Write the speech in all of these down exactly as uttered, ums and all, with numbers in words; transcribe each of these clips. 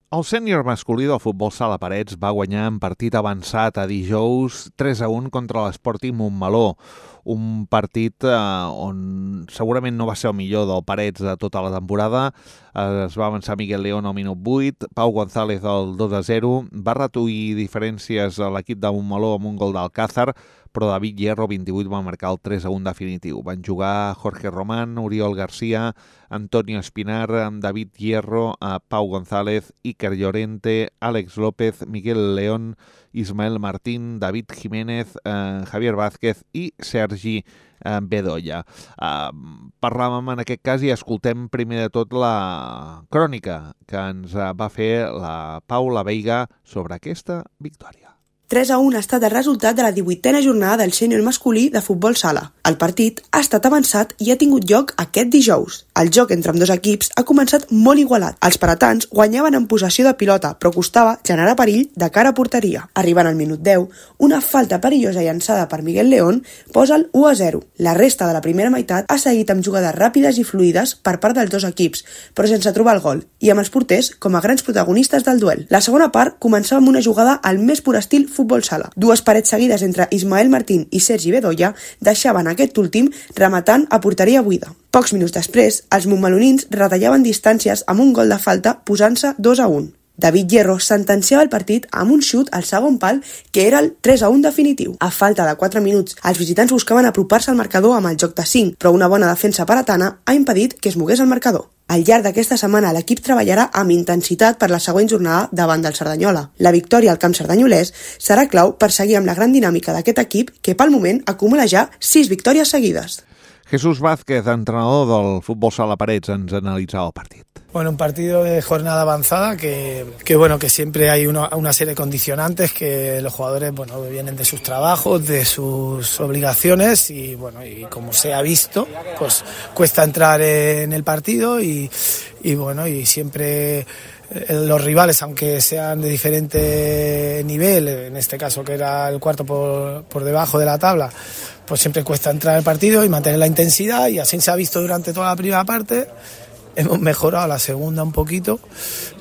El sènior masculí del futbol sala Parets va guanyar en partit avançat a dijous tres a un contra l'Sporting Montmeló, un partit eh, on segurament no va ser el millor del Parets de tota la temporada. Eh, es va avançar Miguel León al minut vuit, Pau González al dos a zero, va reduir diferències a l'equip de Montmeló amb un gol d'Alcázar, però David Hierro, vint-i-vuit, va marcar el tres a un definitiu. Van jugar Jorge Román, Oriol García, Antonio Espinar, David Hierro, Pau González, Iker Llorente, Àlex López, Miguel León, Ismael Martín, David Jiménez, eh, Javier Vázquez i Sergi eh, Bedoya. Eh, parlàvem en aquest cas i escoltem primer de tot la crònica que ens va fer la Paula Veiga sobre aquesta victòria. tres a un ha estat el resultat de la divuitena jornada del sènior masculí de futbol sala. El partit ha estat avançat i ha tingut lloc aquest dijous. El joc entre ambdós equips ha començat molt igualat. Els paratans guanyaven en possessió de pilota, però costava generar perill de cara a porteria. Arribant al minut deu, una falta perillosa llançada per Miguel León posa el u a zero. La resta de la primera meitat ha seguit amb jugades ràpides i fluides per part dels dos equips, però sense trobar el gol, i amb els porters com a grans protagonistes del duel. La segona part començava amb una jugada al més pur estil futbol sala. Dues parets seguides entre Ismael Martín i Sergi Bedoya deixaven aquest últim rematant a porteria buida. Pocs minuts després, els montmelonins retallaven distàncies amb un gol de falta posant-se dos a un. David Hierro sentenciava el partit amb un xut al segon pal que era el tres a un definitiu. A falta de quatre minuts, els visitants buscaven apropar-se al marcador amb el joc de cinc, però una bona defensa paratana ha impedit que es mogués el marcador. Al llarg d'aquesta setmana, l'equip treballarà amb intensitat per la següent jornada davant del Cerdanyola. La victòria al camp cerdanyolès serà clau per seguir amb la gran dinàmica d'aquest equip que, pel moment, acumula ja sis victòries seguides. Jesús Vázquez, entrenador del futbol sala Parets, ens analitzava el partit. Bueno, un partido de jornada avanzada que, que bueno, que siempre hay una, una serie de condicionantes que los jugadores, bueno, vienen de sus trabajos, de sus obligaciones y, bueno, y como se ha visto, pues cuesta entrar en el partido y, y bueno, y siempre los rivales, aunque sean de diferente nivel, en este caso que era el cuarto por, por debajo de la tabla, pues siempre cuesta entrar en el partido y mantener la intensidad, y así se ha visto durante toda la primera parte. Hemos mejorado la segunda un poquito,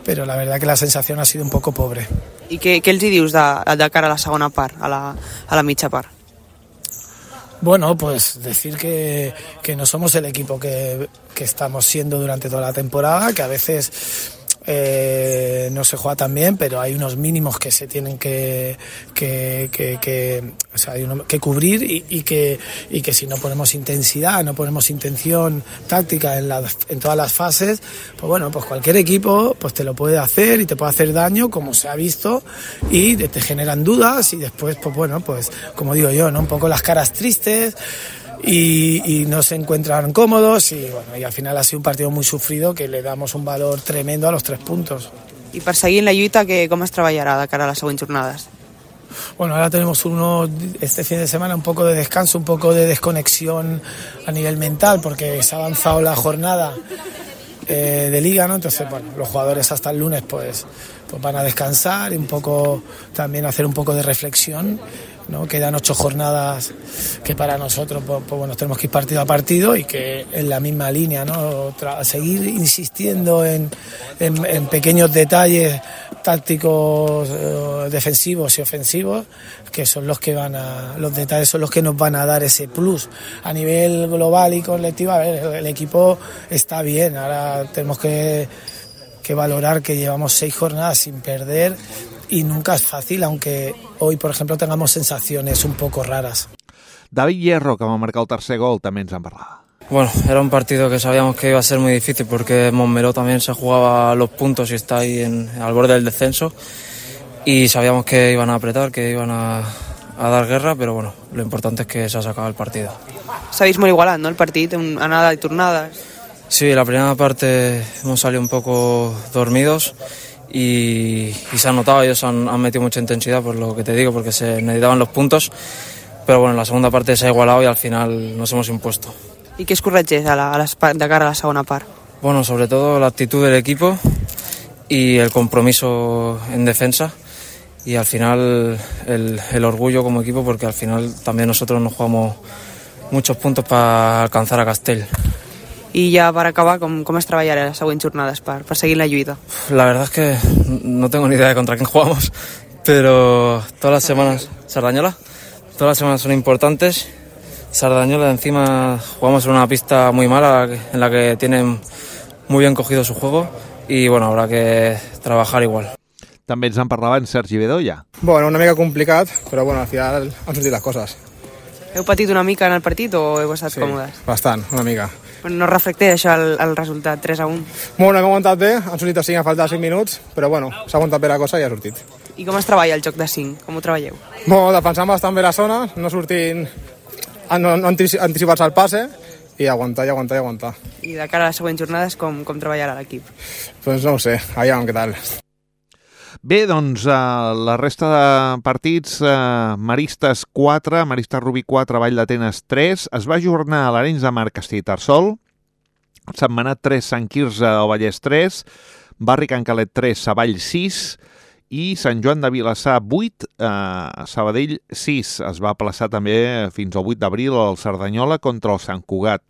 pero la verdad que la sensación ha sido un poco pobre. I què, què els hi dius de, de cara a la segona part, a la, a la mitja part? Bueno, pues decir que, que no somos el equipo que, que estamos siendo durante toda la temporada, que a veces eh, no se juega tan bien, pero hay unos mínimos que se tienen que, que, que, que, o sea, hay uno, que cubrir y, y, que, y que si no ponemos intensidad, no ponemos intención táctica en, la, en todas las fases, pues bueno, pues cualquier equipo pues te lo puede hacer y te puede hacer daño, como se ha visto, y te generan dudas y después, pues bueno, pues como digo yo, ¿no? Un poco las caras tristes. Y, y no se encuentran cómodos y bueno, y al final ha sido un partido muy sufrido que le damos un valor tremendo a los tres puntos. I per seguir en la lluita, que, com es treballarà de cara a les següents jornades? Bueno, ahora tenemos uno este fin de semana un poco de descanso, un poco de desconexión a nivel mental, porque se ha avanzado la jornada eh, de liga, ¿no? Entonces, bueno, los jugadores hasta el lunes pues, pues van a descansar y un poco también hacer un poco de reflexión, ¿no? Quedan ocho jornadas que para nosotros pues, pues bueno, tenemos que ir partido a partido y que en la misma línea, ¿no? Tra- seguir insistiendo en, en, en pequeños detalles tácticos, eh, defensivos y ofensivos, que son los que van a, los detalles son los que nos van a dar ese plus a nivel global y colectivo. A ver, el, el equipo está bien, ahora tenemos que, que valorar que llevamos seis jornadas sin perder. Y nunca es fácil, aunque hoy, por ejemplo, tengamos sensaciones un poco raras. David Hierro, que va marcar el tercer gol, també ens en parlava. Bueno, era un partido que sabíamos que iba a ser muy difícil porque Montmeló también se jugaba los puntos y está ahí en, al borde del descenso, y sabíamos que iban a apretar, que iban a, a dar guerra, pero bueno, lo importante es que se ha sacado el partido. S'ha vist molt igualat, no?, el partit, anada y tornadas. Sí, la primera parte hemos salido un poco dormidos. Y, y se ha notado, ellos han, han metido mucha intensidad, por lo que te digo, porque se necesitaban los puntos, pero bueno, la segunda parte se ha igualado y al final nos hemos impuesto. I què es corregeix a la, a les, de cara a la segona part? Bueno, sobre todo la actitud del equipo y el compromiso en defensa, y al final el, el orgullo como equipo, porque al final también nosotros nos jugamos muchos puntos para alcanzar a Castell. I ja per acabar, com, com es treballarà les següents jornades per, per seguir la lluita? La verdad es que no tengo ni idea de contra quién jugamos, pero todas las semanas... ¿Sardañola? Todas las semanas son importantes. Sardañola, encima jugamos en una pista muy mala en la que tienen muy bien cogido su juego y bueno, habrá que trabajar igual. També ens en parlava en Sergi Bedoya. Bueno, una mica complicat, però bueno, al final han sortit les coses. Heu patit una mica en el partit o heu estat Sí, còmodes? bastant, una mica. No reflecteix això el, el resultat, tres a un. Bueno, hem aguantat bé, han sortit a cinc a falta de cinc minuts, però bueno, s'ha aguantat bé la cosa i ha sortit. I com es treballa el joc de cinc? Com ho treballeu? Bueno, defensant bastant bé la zona, no sortint, no, no anticipar-se al passe i aguantar, i aguantar, i aguantar. I de cara a les següents jornades, com, com treballarà l'equip? Doncs no ho sé, aviam què tal. Bé, doncs eh, la resta de partits, eh, Maristes quatre, Maristes Rubí quatre, Vall d'Atenes tres, es va ajornar a l'Arenys de Mar Castellterçol, Sentmenat tres, Sant Quirze del Vallès tres, Barri Can Calet tres, Savall sis i Sant Joan de Vilassar vuit, eh, Sabadell sis. Es va aplaçar també fins al vuit d'abril el Cerdanyola contra el Sant Cugat.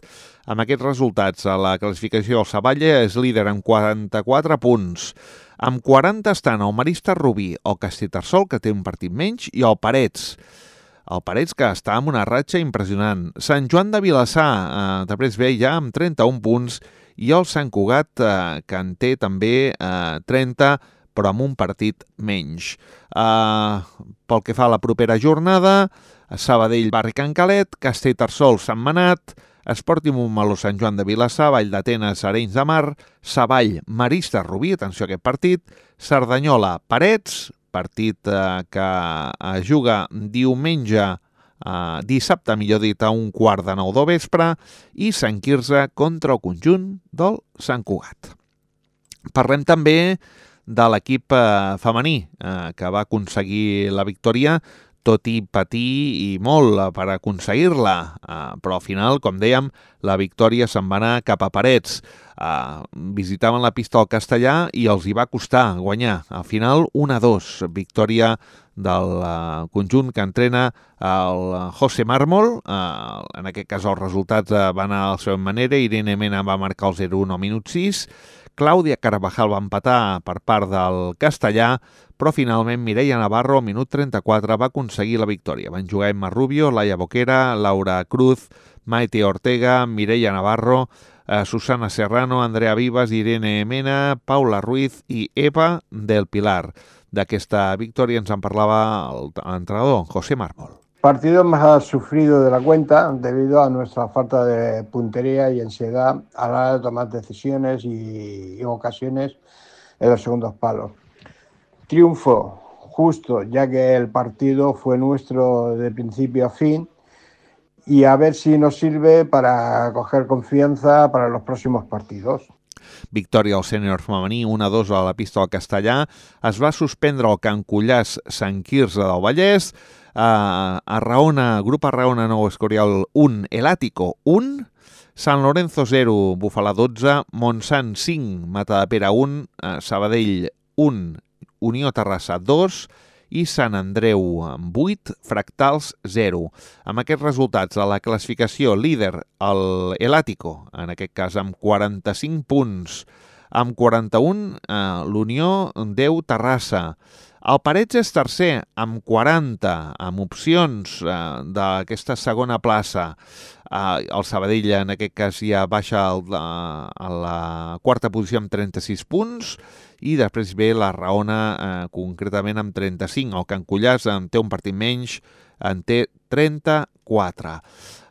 Amb aquests resultats, a la classificació el Savall és líder amb quaranta-quatre punts. Amb quaranta estan el Maristes Rubí, el Castellterçol, que té un partit menys, i el Parets. El Parets, que està amb una ratxa impressionant. Sant Joan de Vilassar, eh, després ve ja amb trenta-un punts, i el Sant Cugat, eh, que en té també eh, trenta, però amb un partit menys. Eh, pel que fa a la propera jornada, Sabadell, Barri Can Calet, Castellterçol, Sentmenat, Esportiu Montmeló, Sant Joan de Vilassar, Vall d'Atenes, Arenys de Mar, Savall, Maristes Rubí, atenció a aquest partit, Cerdanyola, Parets, partit eh, que es juga diumenge, eh, dissabte, millor dit, a un quart de nou del vespre, i Sant Quirze contra el conjunt del Sant Cugat. Parlem també de l'equip eh, femení, eh, que va aconseguir la victòria, tot i patir i molt per aconseguir-la, uh, però al final, com dèiem, la victòria se'n va anar cap a Parets. Uh, visitaven la pista del Castellà i els hi va costar guanyar. Al final, un a dos, victòria del uh, conjunt que entrena el José Mármol. Uh, en aquest cas, els resultats uh, van anar a la seva manera. Irene Mena va marcar el zero a un al minut sis. Clàudia Carvajal va empatar per part del Castellà, però finalment Mireia Navarro, al minut trenta-quatre, va aconseguir la victòria. Van jugar Emma Rubio, Laia Boquera, Laura Cruz, Maite Ortega, Mireia Navarro, eh, Susana Serrano, Andrea Vivas, Irene Mena, Paula Ruiz i Eva del Pilar. D'aquesta victòria ens en parlava l'entrenador, José Mármol. Partido más sufrido de la cuenta debido a nuestra falta de puntería y ansiedad a la hora de tomar decisiones y en ocasiones en los segundos palos. Triunfo justo, ya que el partido fue nuestro de principio a fin y a ver si nos sirve para coger confianza para los próximos partidos. Victòria al sènior femení, un a dos a la pista del Castellà. Es va suspendre el Can Cullàs Sant Quirze del Vallès. Uh, Arraona, Grup Arraona Nou Escorial un, El Ático un, Sant Lorenzo zero, Bufalà dotze, Montsant cinc, Matadepera un, uh, Sabadell un, Unió Terrassa dos i Sant Andreu vuit, Fractals zero. Amb aquests resultats, a la classificació líder el El Ático, en aquest cas amb quaranta-cinc punts, amb quaranta-un eh, l'Unió deu Terrassa. El Parets és tercer amb quaranta, amb opcions eh, d'aquesta segona plaça. Eh, el Sabadell en aquest cas ja baixa al, a, a la quarta posició amb trenta-sis punts i després ve la Raona eh, concretament amb trenta-cinc. El Can Cullàs en té un partit menys, en té trenta-quatre.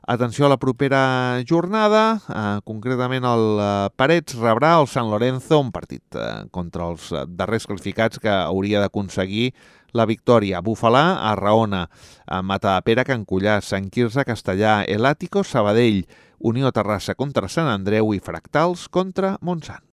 Atenció a la propera jornada, eh, concretament el eh, Parets rebrà el Sant Lorenzo, un partit eh, contra els eh, darrers classificats que hauria d'aconseguir la victòria. Bufalà, Arraona, eh, Matadepera, Can Cullàs, Sant Quirze, Castellà, El Ático, Sabadell, Unió Terrassa contra Sant Andreu i Fractals contra Montsant.